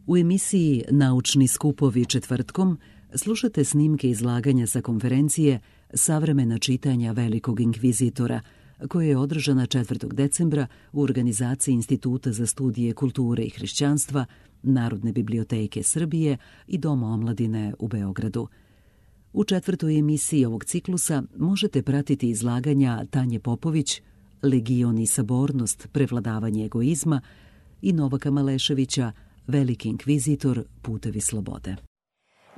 U emisiji Naučni skupovi četvrtkom slušate snimke izlaganja sa konferencije Savremena čitanja velikog inkvizitora, koja je održana 4. decembra u organizaciji Instituta za studije kulture i hrišćanstva, Narodne biblioteke Srbije i Doma omladine u Beogradu. U 4. emisiji ovog ciklusa možete pratiti izlaganja Tanje Popović, Legion i sabornost, prevladavanje egoizma i Novaka Maleševića, Veliki inkvizitor, putevi slobode.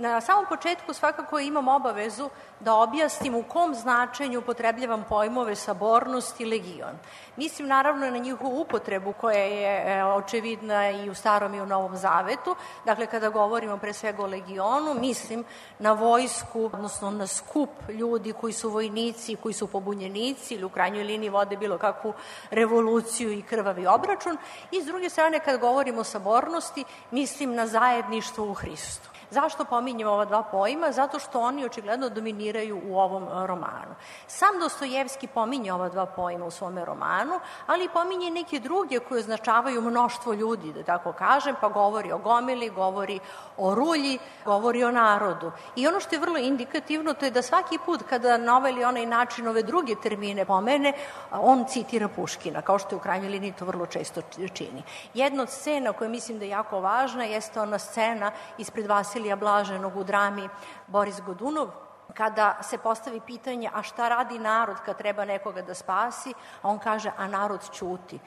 Na samom početku svakako imam obavezu da objasnim u kom značenju upotrebljavam pojmove sabornost i legion. Mislim naravno na njihovu upotrebu koja je očevidna i u Starom i u Novom Zavetu. Dakle, kada govorimo pre svega o legionu, mislim na vojsku, odnosno na skup ljudi koji su vojnici, koji su pobunjenici ili u krajnjoj liniji vode bilo kakvu revoluciju i krvavi obračun. I s druge strane, kada govorimo o sabornosti, mislim na zajedništvo u Hristu. Zašto pominjem ova dva pojma? Zato što oni očigledno dominiraju u ovom romanu. Sam Dostojevski pominje ova dva pojma u svome romanu, ali pominje neke druge koje označavaju mnoštvo ljudi, da tako kažem, pa govori o gomili, govori o rulji, govori o narodu. I ono što je vrlo indikativno, to je da svaki put kada na ovaj ili onaj način ove druge termine pomene, on citira Puškina, kao što je u krajnjoj liniji to vrlo često čini. Jedna od scena koja mislim da je jako važna jeste ona scena ispred Vasilija Blaženog u drami Boris Godunov, kada se postavi pitanje a šta radi narod kad treba nekoga da spasi, a on kaže a narod ćuti.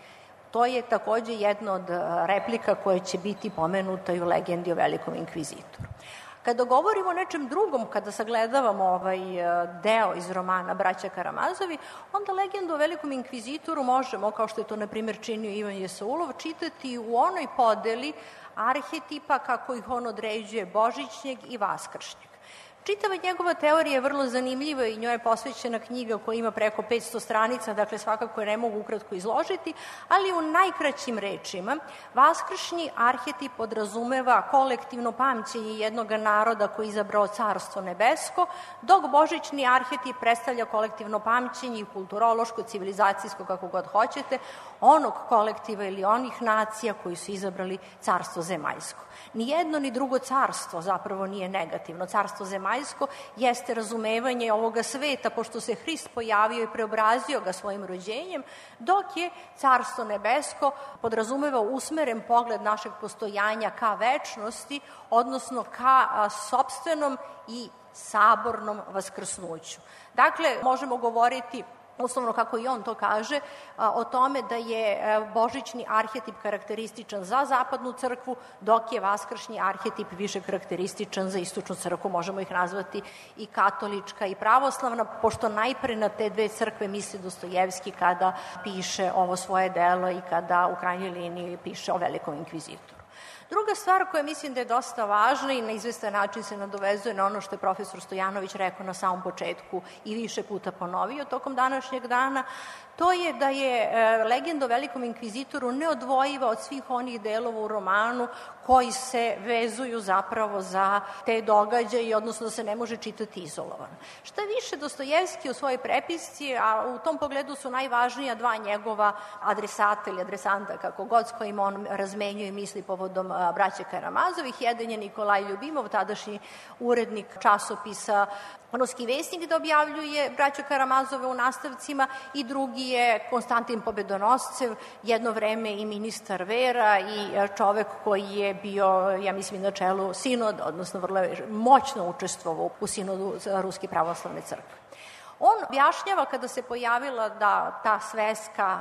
To je takođe jedna od replika koja će biti pomenuta i u legendi o Velikom inkvizitoru. Kada govorimo o nečem drugom, kada sagledavamo ovaj deo iz romana Braća Karamazovi, onda legendu o Velikom inkvizitoru možemo, kao što je to na primjer činio Ivan Jesaulov, čitati u onoj podeli arhetipa kako ih on određuje božićnjeg i vaskršnjeg. Čitava njegova teorija je vrlo zanimljiva i njoj je posvećena knjiga koja ima preko 500 stranica, dakle svakako je ne mogu ukratko izložiti, ali u najkraćim rečima vaskršnji arhetip podrazumeva kolektivno pamćenje jednog naroda koji je izabrao Carstvo nebesko, dok božićni arhetip predstavlja kolektivno pamćenje i kulturološko, civilizacijsko, kako god hoćete, onog kolektiva ili onih nacija koji su izabrali Carstvo zemaljsko. Ni jedno ni drugo carstvo zapravo nije negativno. Carstvo zemaljsko jeste razumevanje ovoga sveta, pošto se Hrist pojavio i preobrazio ga svojim rođenjem, dok je Carstvo nebesko podrazumeva usmeren pogled našeg postojanja ka večnosti, odnosno ka sopstvenom i sabornom vaskrsnuću. Dakle, možemo govoriti uslovno kako i on to kaže, o tome da je božićni arhetip karakterističan za zapadnu crkvu, dok je vaskršnji arhetip više karakterističan za istočnu crkvu. Možemo ih nazvati i katolička i pravoslavna, pošto najpre na te dve crkve misli Dostojevski kada piše ovo svoje delo i kada u krajnjoj liniji piše o Velikom inkvizitoru. Druga stvar koja mislim da je dosta važna i na izvestan način se nadovezuje na ono što je profesor Stojanović rekao na samom početku i više puta ponovio tokom današnjeg dana, to je da je legenda o Velikom inkvizitoru neodvojiva od svih onih delova u romanu koji se vezuju zapravo za te događaje, odnosno da se ne može čitati izolovano. Šta više, Dostojevski u svojoj prepisci, a u tom pogledu su najvažnija dva njegova adresata ili adresanta, kako god s kojima on razmenjuje misli povodom Braća Karamazovih. Jedan je Nikolaj Ljubimov, tadašnji urednik časopisa Ruski vesnik, da objavljuje Braću Karamazove u nastavcima, i drugi je Konstantin Pobedonoscev, jedno vreme i ministar vera i čovek koji je bio, ja mislim, na čelu sinoda, odnosno vrlo moćno učestvovao u sinodu Ruske pravoslavne crkve. On objašnjava kada se pojavila ta sveska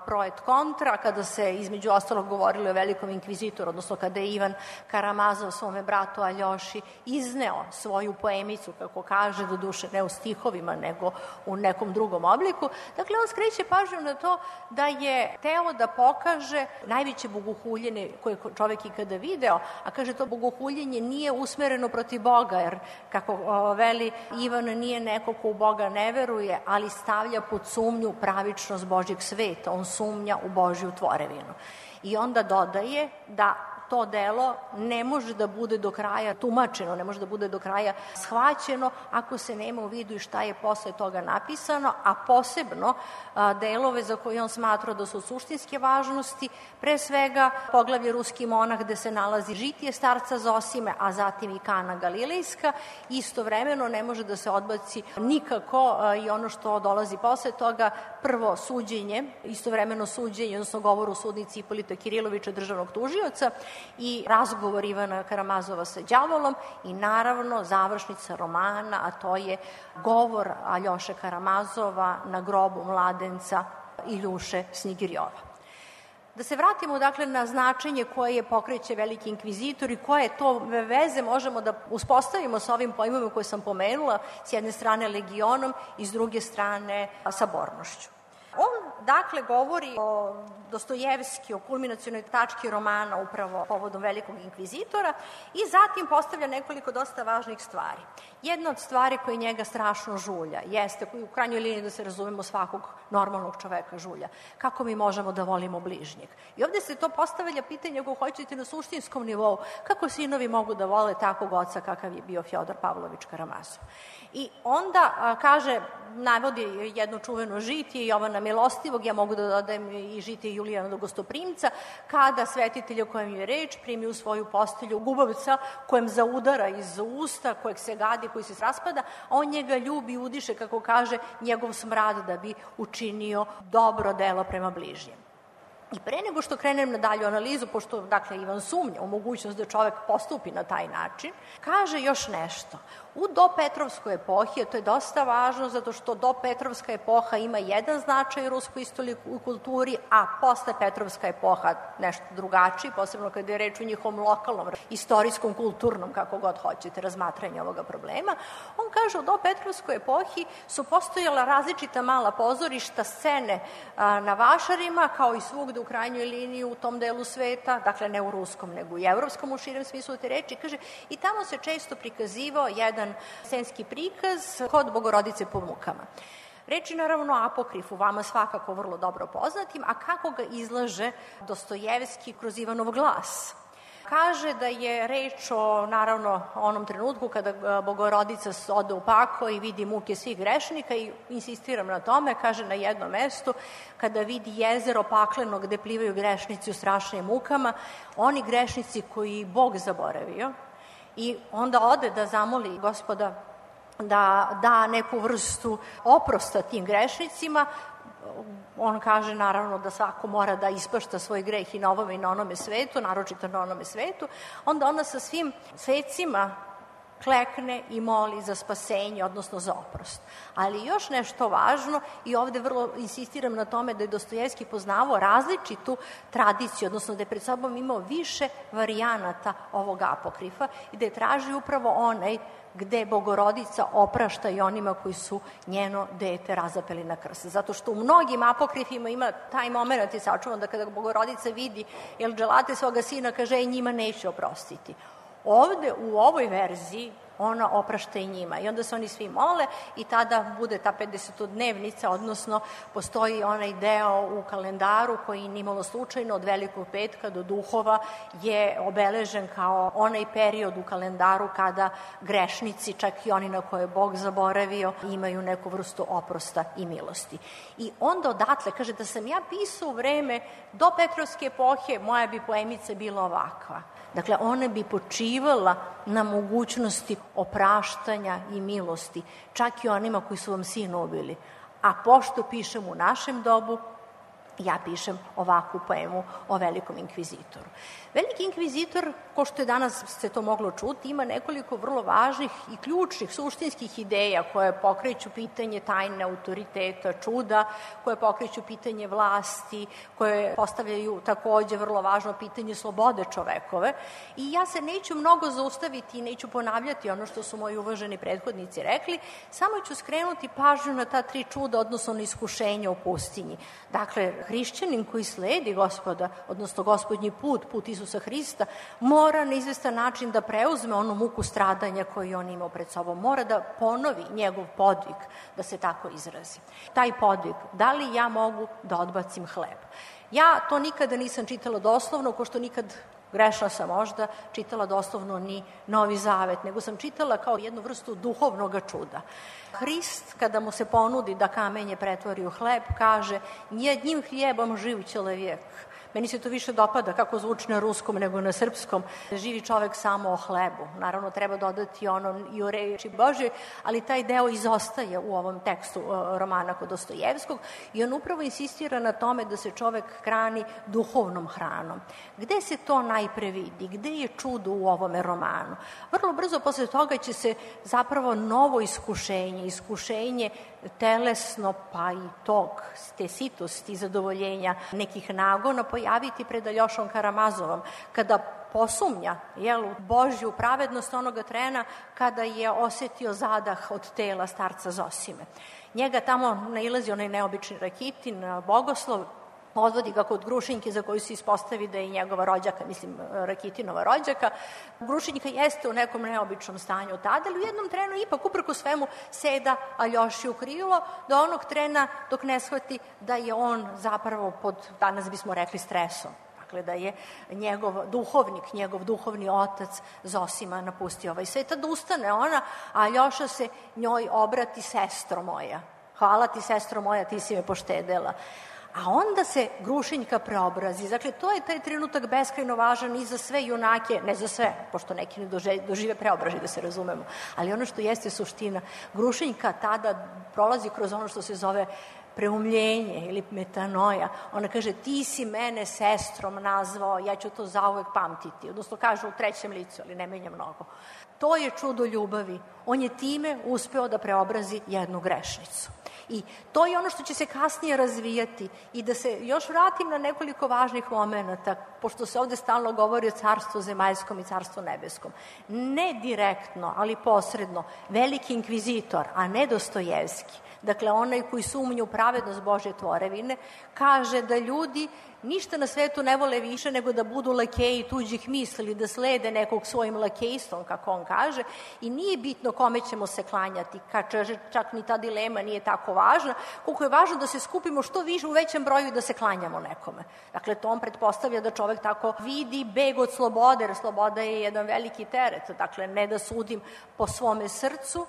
pro et kontra, kada se između ostalog govorilo o Velikom inkvizitoru, odnosno kada je Ivan Karamazov svome bratu Aljoši izneo svoju poemicu, kako kaže, do duše ne u stihovima, nego u nekom drugom obliku. Dakle, on skreće pažnju na to da je teo da pokaže najveće bogohuljenje koje čovek ikada video, a kaže to bogohuljenje nije usmereno protiv Boga, jer kako veli Ivan nije neko ko u Boga ne veruje, ali stavlja pod sumnju pravičnost Božjeg sveta, on sumnja u Božju tvorevinu. I onda dodaje da to delo ne može da bude do kraja tumačeno, ne može da bude do kraja shvaćeno ako se nema u vidu i šta je posle toga napisano, a posebno delove za koje on smatra da su suštinske važnosti, pre svega poglavlje Ruski monah gde se nalazi žitije starca Zosime, a zatim i Kana Galilejska. Istovremeno ne može da se odbaci nikako i ono što dolazi posle toga, prvo suđenje, istovremeno suđenje, odnosno govor u sudnici Ipolita Kirilovića, državnog tužioca, i razgovor Ivana Karamazova sa đavolom i naravno završnica romana, a to je govor Aljoše Karamazova na grobu mladenca Iljuše Snigirjova. Da se vratimo dakle na značenje koje pokreće veliki inkvizitor i koje to veze možemo da uspostavimo sa ovim pojmovima koje sam pomenula, s jedne strane legionom i s druge strane sabornošću. On, dakle, govori o Dostojevski, o kulminacionoj tački romana upravo povodom velikog inkvizitora i zatim postavlja nekoliko dosta važnih stvari. Jedna od stvari koja njega strašno žulja jeste, u krajnjoj liniji da se razumemo svakog normalnog čoveka žulja, kako mi možemo da volimo bližnjeg. I ovde se to postavlja pitanje, ako hoćete, na suštinskom nivou, kako sinovi mogu da vole takvog oca kakav je bio Fjodor Pavlović Karamazov. I onda kaže, navodi jedno čuveno žitije Jovana Milostivog, ja mogu da dodajem i žitije Julijana Gostoprimca, kada svetitelj o kojem je reč primi u svoju postelju gubavca kojem zaudara iz usta, kojeg se gadi, koji se raspada, a on njega ljubi i udiše, kako kaže, njegov smrad da bi učinio dobro delo prema bližnjem. I pre nego što krenem na dalju analizu, pošto, dakle, Ivan sumnja u mogućnost da čovek postupi na taj način, kaže još nešto. U dopetrovskoj epohi, to je dosta važno, zato što dopetrovska epoha ima jedan značaj u ruskoj istoriji i kulturi, a posle Petrovska epoha nešto drugačiji, posebno kada je reč o njihovom lokalnom, istorijskom, kulturnom, kako god hoćete, razmatranju ovoga problema. On kaže, u dopetrovskoj epohi su postojala različita mala pozorišta, scene na vašarima, kao i svugde u krajnjoj liniji u tom delu sveta, dakle ne u ruskom, nego i evropskom u širem smislu te reči, kaže, i tamo se često prikazivao jedan scenski prikaz kod Bogorodice po mukama. Reč je naravno o apokrifu, vama svakako vrlo dobro poznatim, a kako ga izlaže Dostojevski kroz Ivanov glas. Kaže da je reč o, naravno, onom trenutku kada Bogorodica ode u pakao i vidi muke svih grešnika i insistiram na tome, kaže na jednom mestu, kada vidi jezero pakleno gde plivaju grešnici u strašnim mukama, oni grešnici koji Bog zaboravio, i onda ode da zamoli Gospoda da da neku vrstu oprosta tim grešnicima. On kaže naravno da svako mora da ispašta svoj greh i na ovome i na onome svetu, naročito na onome svetu. Onda ona sa svim svecima klekne i moli za spasenje, odnosno za oprost. Ali još nešto važno, i ovde vrlo insistiram na tome da je Dostojevski poznavao različitu tradiciju, odnosno da je pred sobom imao više varijanata ovog apokrifa i da je tražio upravo onaj gde Bogorodica oprašta i onima koji su njeno dete razapeli na krst. Zato što u mnogim apokrifima ima taj moment i sačuvan da kada Bogorodica vidi dželate svoga sina, kaže, njima neće oprostiti. Ovde, u ovoj verziji, ona oprašta i njima. I onda se oni svi mole i tada bude ta 50-dnevnica, odnosno postoji onaj deo u kalendaru koji nimalo slučajno od Velikog petka do Duhova je obeležen kao onaj period u kalendaru kada grešnici, čak i oni na koje je Bog zaboravio, imaju neku vrstu oprosta i milosti. I onda odatle, kaže, da sam ja pisao u vreme do Petrovske epohe, moja bi poemica bila ovakva. Dakle, ona bi počivala na mogućnosti opraštanja i milosti, čak i onima koji su vam sina ubili. A pošto pišem u našem dobu, ja pišem ovakvu poemu o velikom inkvizitoru. Veliki inkvizitor, ko što je danas se to moglo čuti, ima nekoliko vrlo važnih i ključnih, suštinskih ideja koje pokreću pitanje tajne autoriteta, čuda, koje pokreću pitanje vlasti, koje postavljaju takođe vrlo važno pitanje slobode čovekove. I ja se neću mnogo zaustaviti i neću ponavljati ono što su moji uvaženi prethodnici rekli, samo ću skrenuti pažnju na ta tri čuda, odnosno na iskušenja u pustinji. Dakle, hrišćanin koji sledi Gospoda, odnosno Gospodnji put, put Isusa Hrista, mora na izvestan način da preuzme onu muku stradanja koju on imao pred sobom. Mora da ponovi njegov podvig, da se tako izrazi. Taj podvig, da li ja mogu da odbacim hleb? Ja to nikada nisam čitala doslovno, ko što nikad grešna sam možda, čitala doslovno ni Novi Zavet, nego sam čitala kao jednu vrstu duhovnog čuda. Hrist, kada mu se ponudi da kamenje pretvori u hleb, kaže: "Jednim hljebom živ čovjek." Meni se to više dopada kako zvuči na ruskom nego na srpskom. Živi čovek samo o hlebu. Naravno, treba dodati ono i o reči Božjoj, ali taj deo izostaje u ovom tekstu romana kod Dostojevskog i on upravo insistira na tome da se čovek hrani duhovnom hranom. Gde se to najpre vidi? Gde je čudo u ovome romanu? Vrlo brzo posle toga će se zapravo novo iskušenje telesno, pa i te sitosti, zadovoljenja nekih nagona pojaviti pred Aljošom Karamazovom, kada posumnja u Božju pravednost onoga trena kada je osetio zadah od tela starca Zosime. Njega tamo nailazi onaj neobični Rakitin, Bogoslov, odvodi ga kod Grušinjke za koju se ispostavi da je njegova rođaka, Rakitinova rođaka. Grušinjka jeste u nekom neobičnom stanju tada, ali u jednom trenu ipak uprko svemu seda Aljoši u krilo do onog trena dok ne shvati da je on zapravo pod, danas bismo rekli, stresom. Dakle, da je njegov duhovnik, njegov duhovni otac Zosima napustio ovaj svet. Tada ustane ona, a Aljoša se njoj obrati: "Sestro moja, hvala ti, sestro moja, ti si me poštedela." A onda se Grušinjka preobrazi. Dakle, to je taj trenutak beskrajno važan i za sve junake, ne za sve, pošto neki ne dožive preobražaj, da se razumemo, ali ono što jeste suština, Grušinjka tada prolazi kroz ono što se zove preumljenje ili metanoja. Ona kaže: "Ti si mene sestrom nazvao, ja ću to zauvek pamtiti." Odnosno kaže u trećem licu, ali ne menja mnogo. To je čudo ljubavi. On je time uspeo da preobrazi jednu grešnicu. I to je ono što će se kasnije razvijati. I da se još vratim na nekoliko važnih momenata, pošto se ovde stalno govori o carstvu zemaljskom i carstvu nebeskom. Ne direktno, ali posredno, veliki inkvizitor, a ne Dostojevski, dakle onaj koji sumnja u pravednost Božje tvorevine, kaže da ljudi ništa na svetu ne vole više nego da budu lakeji tuđih misli, da slede nekog svojim lakejstvom, kako on kaže, i nije bitno kome ćemo se klanjati, čak ni ta dilema nije tako važna, koliko je važno da se skupimo što više u većem broju i da se klanjamo nekome. Dakle, to on pretpostavlja da čovek tako vidi beg od slobode, jer sloboda je jedan veliki teret, dakle, ne da sudim po svome srcu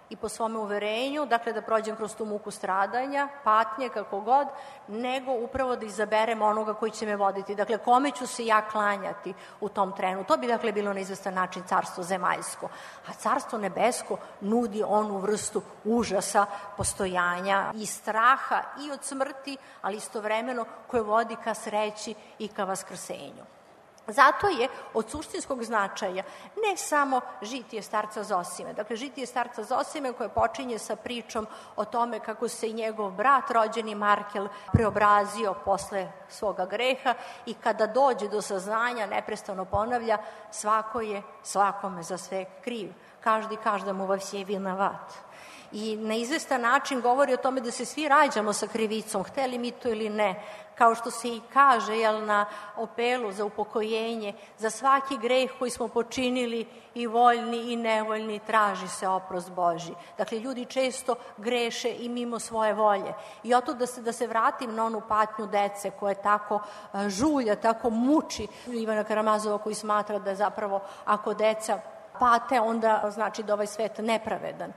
i po svome uverenju, dakle da prođem kroz tu muku stradanja, patnje, kako god, nego upravo da izaberem onoga koji će me voditi. Dakle, kome ću se ja klanjati u tom trenu. To bi, dakle, bilo na izvestan način carstvo zemaljsko. A carstvo nebesko nudi onu vrstu užasa, postojanja i straha i od smrti, ali istovremeno koje vodi ka sreći i ka vaskrsenju. Zato je od suštinskog značaja ne samo žitije starca Zosime. Dakle, žitije starca Zosime koje počinje sa pričom o tome kako se i njegov brat, rođeni Markel, preobrazio posle svoga greha i kada dođe do saznanja, neprestano ponavlja: "Svako je svakome za sve kriv. Každi každemu во все виноват." I na izvestan način govori o tome da se svi rađamo sa krivicom, hteli mi to ili ne, kao što se i kaže na opelu za upokojenje: "Za svaki greh koji smo počinili, i voljni i nevoljni, traži se oprost Božji." Dakle, ljudi često greše i mimo svoje volje. I oto da se vratim na onu patnju dece koje tako žulja, tako muči Ivana Karamazova, koji smatra da je zapravo, ako deca pate, onda znači da ovaj svet nepravedan.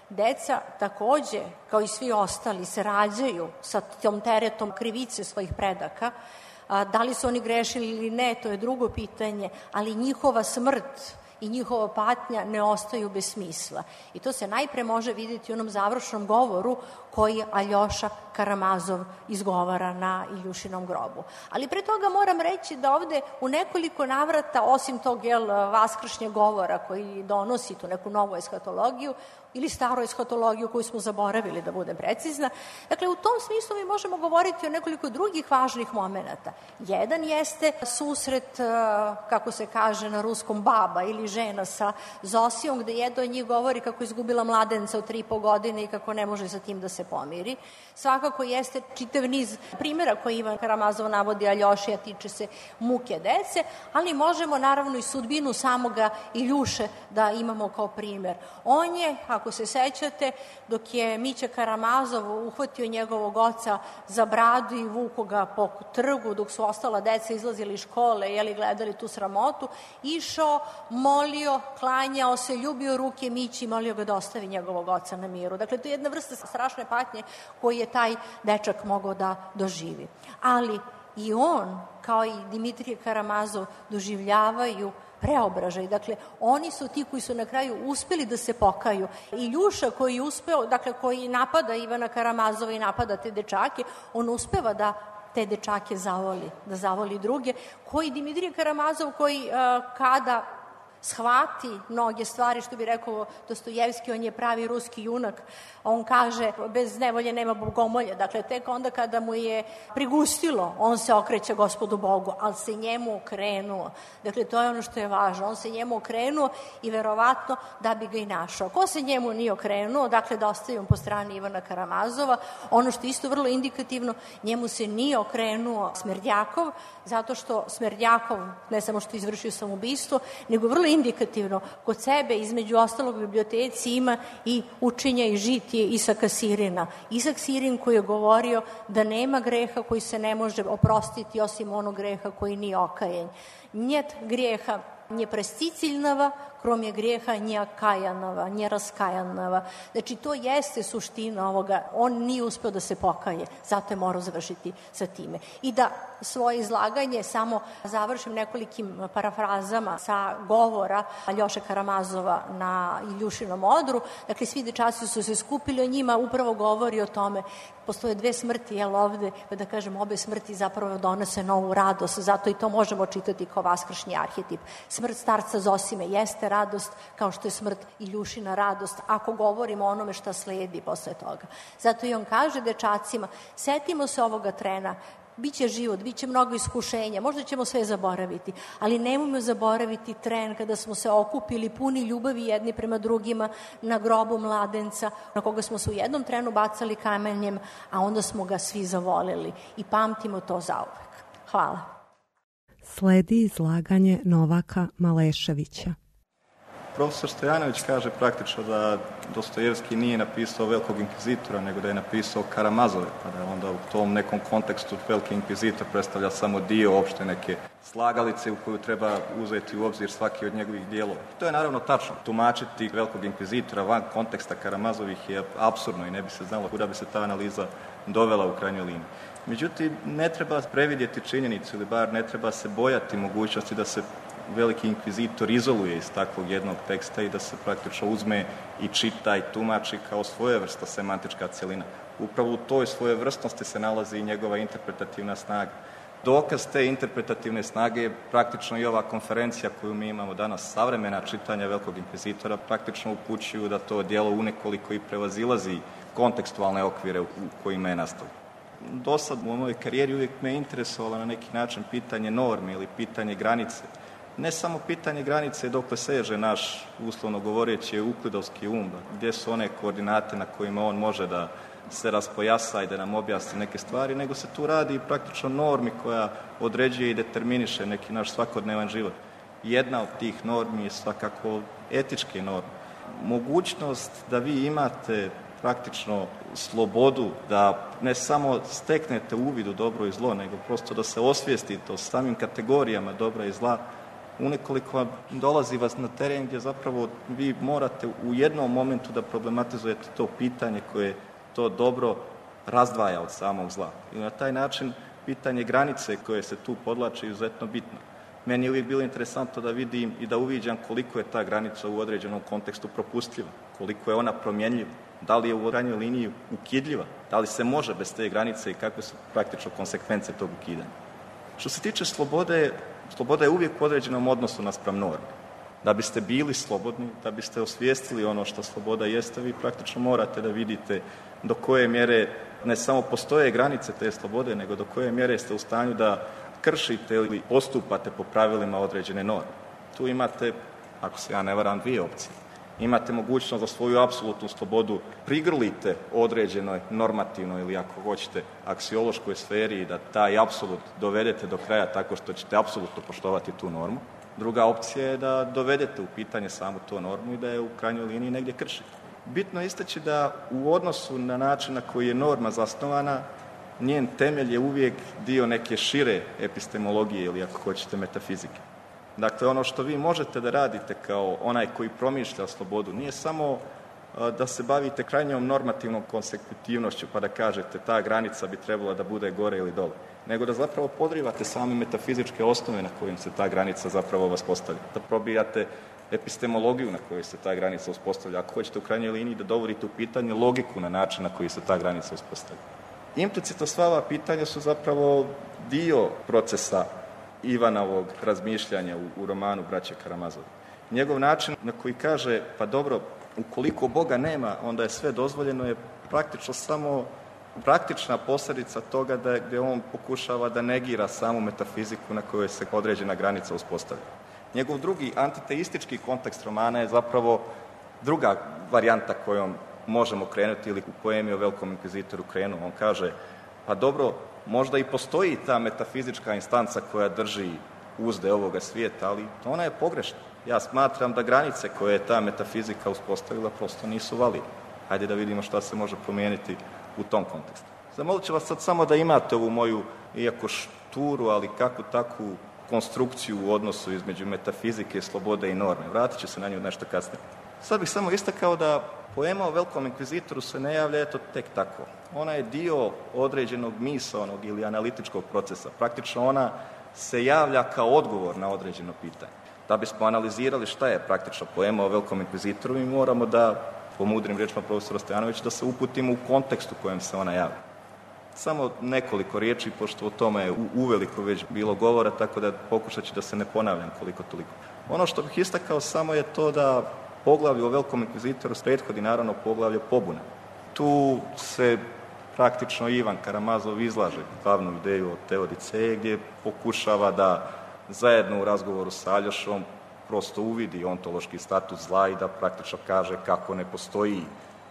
Deca takođe, kao i svi ostali, se rađaju sa tom teretom krivice svojih predaka. Da li su oni grešili ili ne, to je drugo pitanje, ali njihova smrt i njihova patnja ne ostaju bez smisla. I to se najpre može vidjeti u onom završnom govoru koji Aljoša Karamazov izgovara na Iljušinom grobu. Ali pre toga moram reći da ovde u nekoliko navrata, osim tog vaskršnjeg govora koji donosi tu neku novu eshatologiju, ili staru eshatologiju koju smo zaboravili, da budem precizna. Dakle, u tom smislu mi možemo govoriti o nekoliko drugih važnih momenata. Jedan jeste susret, kako se kaže na ruskom, baba ili žena sa Zosijom, gde jedna od njih govori kako je izgubila mladenca od 3,5 godine i kako ne može sa tim da se pomiri. svakako jeste čitav niz primjera koji Ivan Karamazov navodi Aljoši, a tiče se muke dece, ali možemo naravno i sudbinu samoga Iljuše da imamo kao primjer. On je, ako se sećate, dok je Mića Karamazov uhvatio njegovog oca za bradu i vuko ga po trgu, dok su ostala deca izlazili iz škole, gledali tu sramotu, išao, molio, klanjao se, ljubio ruke Mići i molio ga da ostavi njegovog oca na miru. Dakle, to je jedna vrsta strašne patnje koju je taj dečak mogao da doživi. Ali i on, kao i Dimitrije Karamazov, doživljavaju preobražaj. Dakle, oni su ti koji su na kraju uspeli da se pokaju. Iljuša koji je uspeo, dakle, koji napada Ivana Karamazova i napada te dečake, on uspeva da te dečake zavoli, da zavoli druge, koji Dimitrije Karamazov, koji kada shvati mnoge stvari, što bi rekao Dostojevski, on je pravi ruski junak, on kaže bez nevolje nema bogomolje, dakle tek onda kada mu je prigustilo, on se okreće Gospodu Bogu, ali se njemu okrenuo. Dakle, to je ono što je važno, on se njemu okrenuo i verovatno da bi ga i našao. Ko se njemu nije okrenuo, dakle da ostavimo po strani Ivana Karamazova, ono što je isto vrlo indikativno, njemu se nije okrenuo Smerdjakov, zato što Smerdjakov ne samo što izvršio samoubistvo, nego vrlo indikativno kod sebe, između ostalog u biblioteci ima i učenja i žitije Isaka Sirina. Isak Sirin koji je govorio da nema greha koji se ne može oprostiti osim onog greha koji nije okajen. Njet grijeha nje presticiljnava, krom je grijeha nje akajanava, nje raskajanava. Znači, to jeste suština ovoga. On nije uspeo da se pokaje, zato je morao završiti sa time. I da svoje izlaganje samo završim nekolikim parafrazama sa govora Aljoše Karamazova na Iljušinom odru. Dakle, svi dečaci su se skupili, o njima upravo govori o tome. Postoje dve smrti, ovde, da kažem, obe smrti zapravo donose novu radost, zato i to možemo čitati kao vaskršnji arhetip. Smrt starca Zosime jeste radost, kao što je smrt Iljušina radost, ako govorimo o onome šta sledi posle toga. Zato i on kaže dečacima, setimo se ovoga trena, biće život, biće mnogo iskušenja, možda ćemo sve zaboraviti, ali nemojmo zaboraviti tren kada smo se okupili puni ljubavi jedni prema drugima na grobu mladenca, na koga smo se u jednom trenu bacali kamenjem, a onda smo ga svi zavolili i pamtimo to zauvek. Hvala. Sledi izlaganje Novaka Maleševića. Profesor Stojanović kaže praktično da Dostojevski nije napisao Velikog inkvizitora, nego da je napisao Karamazove, pa da onda u tom nekom kontekstu Veliki inkvizitor predstavlja samo dio opšte neke slagalice u koju treba uzeti u obzir svaki od njegovih dijelova. To je naravno tačno. Tumačiti Velikog inkvizitora van konteksta Karamazovih je apsurdno i ne bi se znalo kuda bi se ta analiza dovela u krajnjoj liniji. Međutim, ne treba previdjeti činjenicu ili bar ne treba se bojati mogućnosti da se Veliki inkvizitor izoluje iz takvog jednog teksta i da se praktično uzme i čita i tumači kao svojevrsna semantička cjelina. Upravo u toj svojevrsnosti se nalazi i njegova interpretativna snaga. Dokaz te interpretativne snage je praktično i ova konferencija koju mi imamo danas, savremena čitanja Velikog inkvizitora, praktično upućuju da to djelo unekoliko i prevazilazi kontekstualne okvire u kojima je nastalo. Do sad u mojoj karijeri uvijek me interesovalo na neki način pitanje norme ili pitanje granice. Ne samo pitanje granice dokle seže naš, uslovno govoreći, uklidovski um, gdje su one koordinate na kojima on može da se raspojasa i da nam objasni neke stvari, nego se tu radi praktično normi koja određuje i determiniše neki naš svakodnevan život. Jedna od tih normi je svakako etičke norme. Mogućnost da vi imate praktično slobodu da ne samo steknete uvid u dobro i zlo, nego prosto da se osvijestite o samim kategorijama dobra i zla, unekoliko dolazi vas na teren gdje zapravo vi morate u jednom momentu da problematizujete to pitanje koje to dobro razdvaja od samog zla. I na taj način pitanje granice koje se tu podlače je izuzetno bitno. Meni je uvijek bilo interesantno da vidim i da uviđam koliko je ta granica u određenom kontekstu propustljiva, koliko je ona promjenljiva, da li je u krajnjoj liniji ukidljiva, da li se može bez te granice i kakve su praktično konsekvence tog ukidanja. Što se tiče slobode, sloboda je uvijek u određenom odnosu naspram norme. Da biste bili slobodni, da biste osvijestili ono što sloboda jeste, vi praktično morate da vidite do koje mjere ne samo postoje granice te slobode, nego do koje mjere ste u stanju da kršite ili postupate po pravilima određene norme. Tu imate, ako se ja ne varam, dvije opcije. Imate mogućnost da svoju apsolutnu slobodu prigrlite određenoj normativnoj ili ako hoćete aksiološkoj sferi i da taj apsolut dovedete do kraja tako što ćete apsolutno poštovati tu normu. Druga opcija je da dovedete u pitanje samu tu normu i da je u krajnjoj liniji negdje kršite. Bitno je istaći da u odnosu na način na koji je norma zasnovana, njen temelj je uvijek dio neke šire epistemologije ili ako hoćete metafizike. Dakle, ono što vi možete da radite kao onaj koji promišlja slobodu nije samo da se bavite krajnjom normativnom konsekutivnošću pa da kažete ta granica bi trebala da bude gore ili dole, nego da zapravo podrivate same metafizičke osnove na kojim se ta granica zapravo vas postavlja. Da probijate epistemologiju na kojoj se ta granica uspostavlja. Ako hoćete u krajnjoj liniji da dovodite u pitanje logiku na način na koji se ta granica uspostavlja. Implicitno sva ova pitanja su zapravo dio procesa Ivanovog razmišljanja u romanu Braće Karamazovi. Njegov način na koji kaže, pa dobro, ukoliko Boga nema, onda je sve dozvoljeno, je praktično samo praktična posljedica toga gdje on pokušava da negira samu metafiziku na kojoj se određena granica uspostavlja. Njegov drugi antiteistički kontekst romana je zapravo druga varijanta kojom možemo krenuti ili u poemi o Velikom inkvizitoru krenu. On kaže, pa dobro, možda i postoji ta metafizička instanca koja drži uzde ovoga svijeta, ali ona je pogrešna. Ja smatram da granice koje je ta metafizika uspostavila prosto nisu validne. Hajde da vidimo šta se može promijeniti u tom kontekstu. Zamolit ću vas sad samo da imate ovu moju, iako šturu, ali kakvu takvu konstrukciju u odnosu između metafizike, slobode i norme. Vratit ću se na nju nešto kasnije. Sad bih samo istakao da poema o Velikom inkvizitoru se ne javlja eto tek tako. Ona je dio određenog misaonog ili analitičkog procesa. Praktično ona se javlja kao odgovor na određeno pitanje. Da bismo analizirali šta je praktično poema o Velikom inkvizitoru, mi moramo da, po mudrim riječima profesora Stojanovića, da se uputimo u kontekst u kojem se ona javlja. Samo nekoliko riječi, pošto o tome je uveliko već bilo govora, tako da pokušat ću da se ne ponavljam koliko toliko. Ono što bih istakao samo je to da poglavlje o Velikom inkvizitoru prethodi naravno poglavlje pobune. Tu se praktično Ivan Karamazov izlaže glavnu ideju o teodiceji gdje pokušava da zajedno u razgovoru sa Aljošom prosto uvidi ontološki status zla i da praktično kaže kako ne postoji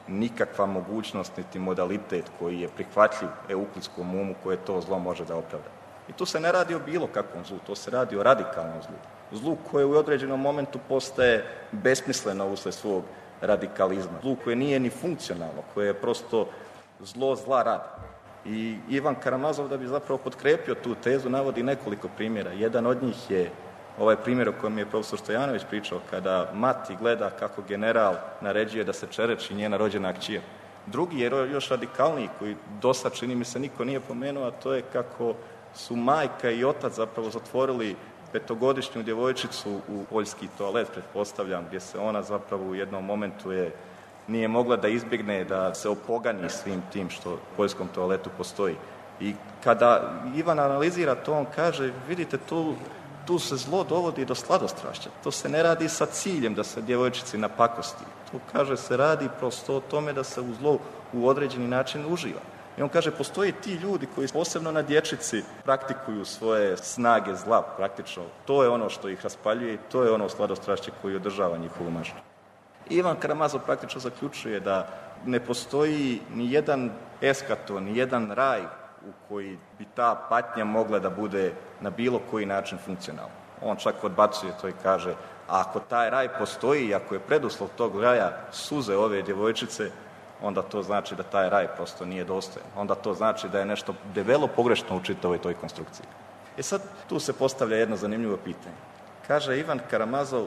nikakva mogućnost niti modalitet koji je prihvatljiv euklidskom umu koje to zlo može da opravda. I tu se ne radi o bilo kakvom zlu, to se radi o radikalnom zlu. Zlu koje u određenom momentu postaje besmisleno usled svog radikalizma. Zlu koje nije ni funkcionalno, koje je prosto zlo zla radi. I Ivan Karamazov, da bi zapravo potkrepio tu tezu, navodi nekoliko primjera. Jedan od njih je ovaj primjer o kojem je profesor Stojanović pričao, kada mati gleda kako general naređuje da se čereči njena rođena kćer. Drugi je još radikalniji, koji dosad čini mi se niko nije pomenuo, a to je kako su majka i otac zapravo zatvorili 5-godišnju djevojčicu u poljski toalet, pretpostavljam, gdje se ona zapravo u jednom momentu nije mogla da izbjegne, da se opogani svim tim što u poljskom toaletu postoji. I kada Ivan analizira to, on kaže, vidite, tu se zlo dovodi do sladostrašća. To se ne radi sa ciljem da se djevojčici napakosti. To, kaže, se radi prosto o tome da se u zlo u određeni način uživa. I on kaže, postoji ti ljudi koji posebno na dječici praktikuju svoje snage zla praktično. To je ono što ih raspaljuje i to je ono sladostrašće koji održava njihovu maštu. Ivan Karamazov praktično zaključuje da ne postoji ni jedan eskaton, ni jedan raj u koji bi ta patnja mogla da bude na bilo koji način funkcionalna. On čak odbacuje to i kaže, a ako taj raj postoji i ako je preduslov tog raja suze ove djevojčice, onda to znači da taj raj prosto nije dostojan. Onda to znači da je nešto debelo pogrešno u čitavoj toj konstrukciji. I sad tu se postavlja jedno zanimljivo pitanje. Kaže Ivan Karamazov,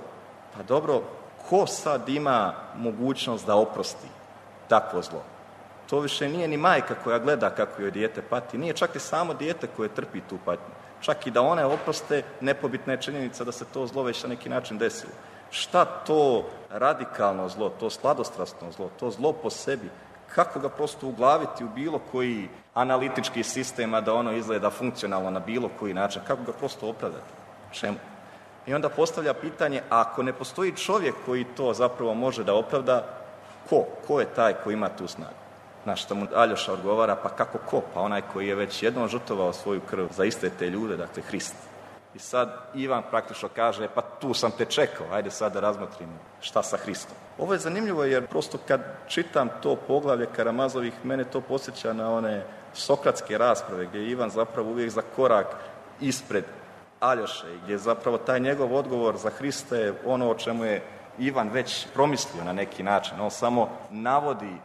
pa dobro, ko sad ima mogućnost da oprosti takvo zlo? To više nije ni majka koja gleda kako joj dijete pati, nije čak i samo dijete koje trpi tu patnju. Čak i da one oproste, nepobitna je činjenica da se to zlo već na neki način desilo. Šta to radikalno zlo, to sladostrasno zlo, to zlo po sebi, kako ga prosto uglaviti u bilo koji analitički sistem, a da ono izgleda funkcionalno na bilo koji način, kako ga prosto opravdati? Čemu? I onda postavlja pitanje, ako ne postoji čovjek koji to zapravo može da opravda, ko je taj koji ima tu snagu? Na što mu Aljoša odgovara, pa kako ko? Pa onaj koji je već jednom žrtvovao svoju krv za iste te ljude, dakle Hrist. I sad Ivan praktično kaže, pa tu sam te čekao, ajde sad da razmotrimo šta sa Hristom. Ovo je zanimljivo jer prosto kad čitam to poglavlje Karamazovih, mene to podsjeća na one sokratske rasprave gdje je Ivan zapravo uvijek za korak ispred Aljoše i gdje je zapravo taj njegov odgovor za Hrista je ono o čemu je Ivan već promislio na neki način. On samo navodi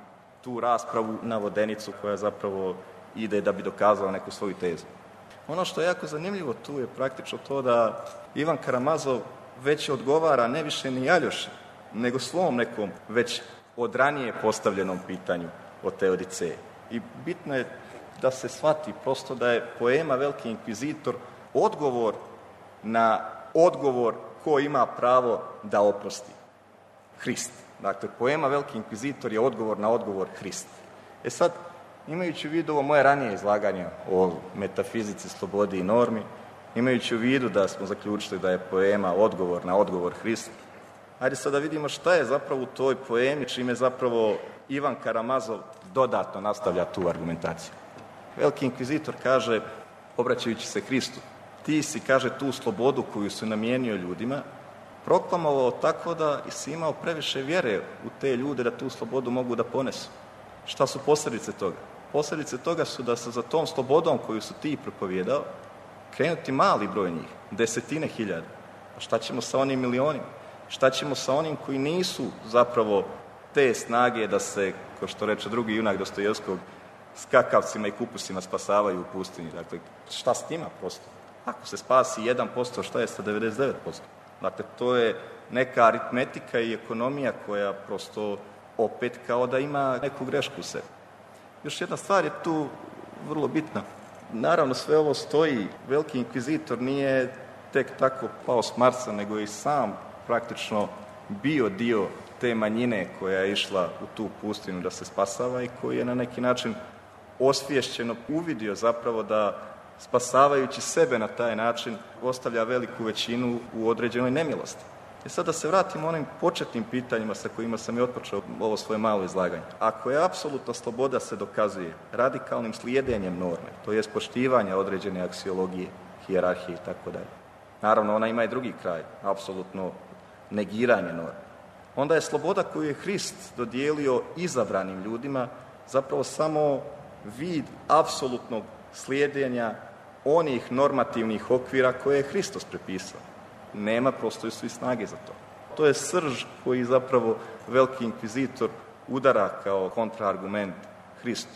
tu raspravu na vodenicu koja zapravo ide da bi dokazala neku svoju tezu. Ono što je jako zanimljivo tu je praktično to da Ivan Karamazov već odgovara ne više ni Aljoši, nego svom nekom već od ranije postavljenom pitanju o Teodiceji. I bitno je da se shvati prosto da je poema Veliki inkvizitor odgovor na odgovor ko ima pravo da oprosti. Hrist. Dakle, poema Veliki inkvizitor je odgovor na odgovor Hrist. E sad, imajući u vidu ovo moje ranije izlaganje o metafizici, slobodi i normi, imajući u vidu da smo zaključili da je poema odgovor na odgovor Hrista, ajde sad da vidimo šta je zapravo u toj poemi, čime zapravo Ivan Karamazov dodatno nastavlja tu argumentaciju. Veliki inkvizitor kaže, obraćajući se Hristu, ti si, kaže, tu slobodu koju si namijenio ljudima, proklamovao tako da si imao previše vjere u te ljude da tu slobodu mogu da ponesu. Šta su posljedice toga? Posljedice toga su da se za tom slobodom koju su ti propovijedao krenuti mali broj njih, 10.000. A šta ćemo sa onim milionima? Šta ćemo sa onim koji nisu zapravo te snage da se, kao što reče drugi junak Dostojevskog, skakavcima i kupusima spasavaju u pustinji? Dakle, šta s njima prosto? Ako se spasi 1%, šta je sa 99%? Dakle, to je neka aritmetika i ekonomija koja prosto opet kao da ima neku grešku u sebi. Još jedna stvar je tu vrlo bitna. Naravno, sve ovo stoji. Veliki inkvizitor nije tek tako pao s Marsa, nego je i sam praktično bio dio te manjine koja je išla u tu pustinu da se spasava i koji je na neki način osviješćeno uvidio zapravo da spasavajući sebe na taj način ostavlja veliku većinu u određenoj nemilosti. I sad da se vratimo onim početnim pitanjima sa kojima sam i otpočeo ovo svoje malo izlaganje. Ako je apsolutna sloboda se dokazuje radikalnim slijedenjem norme, to je poštivanje određene aksiologije, hijerarhije i tako dalje. Naravno, ona ima i drugi kraj, apsolutno negiranje norme. Onda je sloboda koju je Hrist dodijelio izabranim ljudima zapravo samo vid apsolutnog slijedenja onih normativnih okvira koje je Hristos prepisao. Nema prosto su i snage za to. To je srž koji zapravo veliki inkvizitor udara kao kontraargument Hristu.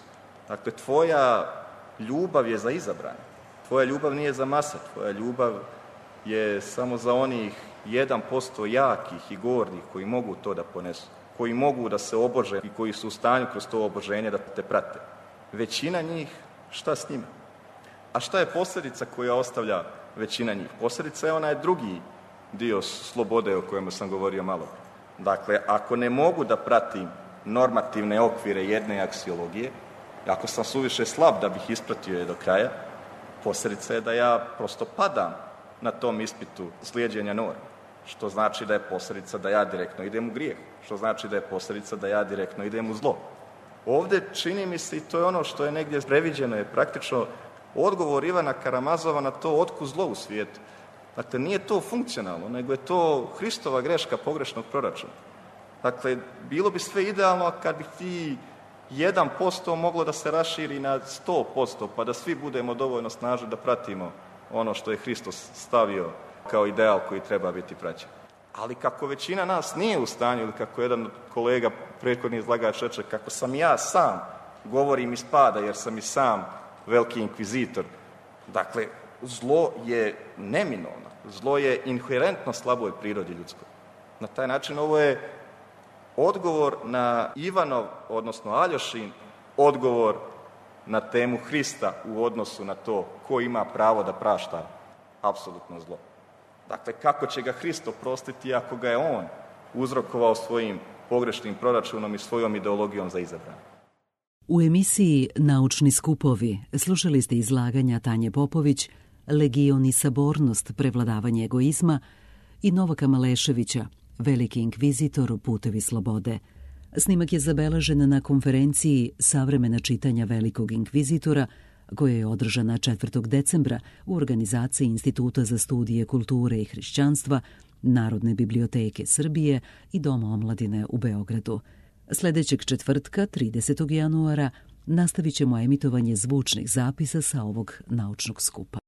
Dakle, tvoja ljubav je za izabrane. Tvoja ljubav nije za mase. Tvoja ljubav je samo za onih 1% jakih i gornih koji mogu to da ponesu, koji mogu da se obože i koji su u stanju kroz to oboženje da te prate. Većina njih, šta s njima? A šta je posljedica koja ostavlja većina njih? Posljedica je onaj drugi dio slobode o kojem sam govorio malo. Dakle, ako ne mogu da pratim normativne okvire jedne aksiologije, ako sam suviše slab da bih ispratio je do kraja, posljedica je da ja prosto padam na tom ispitu slijeđenja norme. Što znači da je posljedica da ja direktno idem u grijeh. Što znači da je posljedica da ja direktno idem u zlo. Ovdje čini mi se, i to je ono što je negdje previđeno, je praktično odgovor Ivana Karamazova na to otkud zlo u svijetu. Dakle, nije to funkcionalno, nego je to Hristova greška pogrešnog proračuna. Dakle, bilo bi sve idealno kad bi ti 1% moglo da se raširi na 100%, pa da svi budemo dovoljno snažni da pratimo ono što je Hristos stavio kao ideal koji treba biti praćen. Ali kako većina nas nije u stanju, ili kako jedan kolega prethodni izlagač reče, kako sam ja sam, govorim iz pada jer sam i sam veliki inkvizitor. Dakle, zlo je neminovno. Zlo je inherentno slaboj prirodi ljudskoj. Na taj način ovo je odgovor na Ivanov, odnosno Aljošin, odgovor na temu Hrista u odnosu na to ko ima pravo da prašta apsolutno zlo. Dakle, kako će ga Hrist oprostiti ako ga je on uzrokovao svojim pogrešnim proračunom i svojom ideologijom za izabrane? U emisiji Naučni skupovi slušali ste izlaganja Tanje Popović, Legion i sabornost, prevladavanje egoizma i Novaka Maleševića, Veliki inkvizitor, putevi slobode. Snimak je zabeležen na konferenciji Savremena čitanja Velikog inkvizitora koja je održana 4. decembra u organizaciji Instituta za studije kulture i hrišćanstva, Narodne biblioteke Srbije i Doma omladine u Beogradu. Sljedećeg četvrtka, 30. januara, nastavit ćemo emitovanje zvučnih zapisa sa ovog naučnog skupa.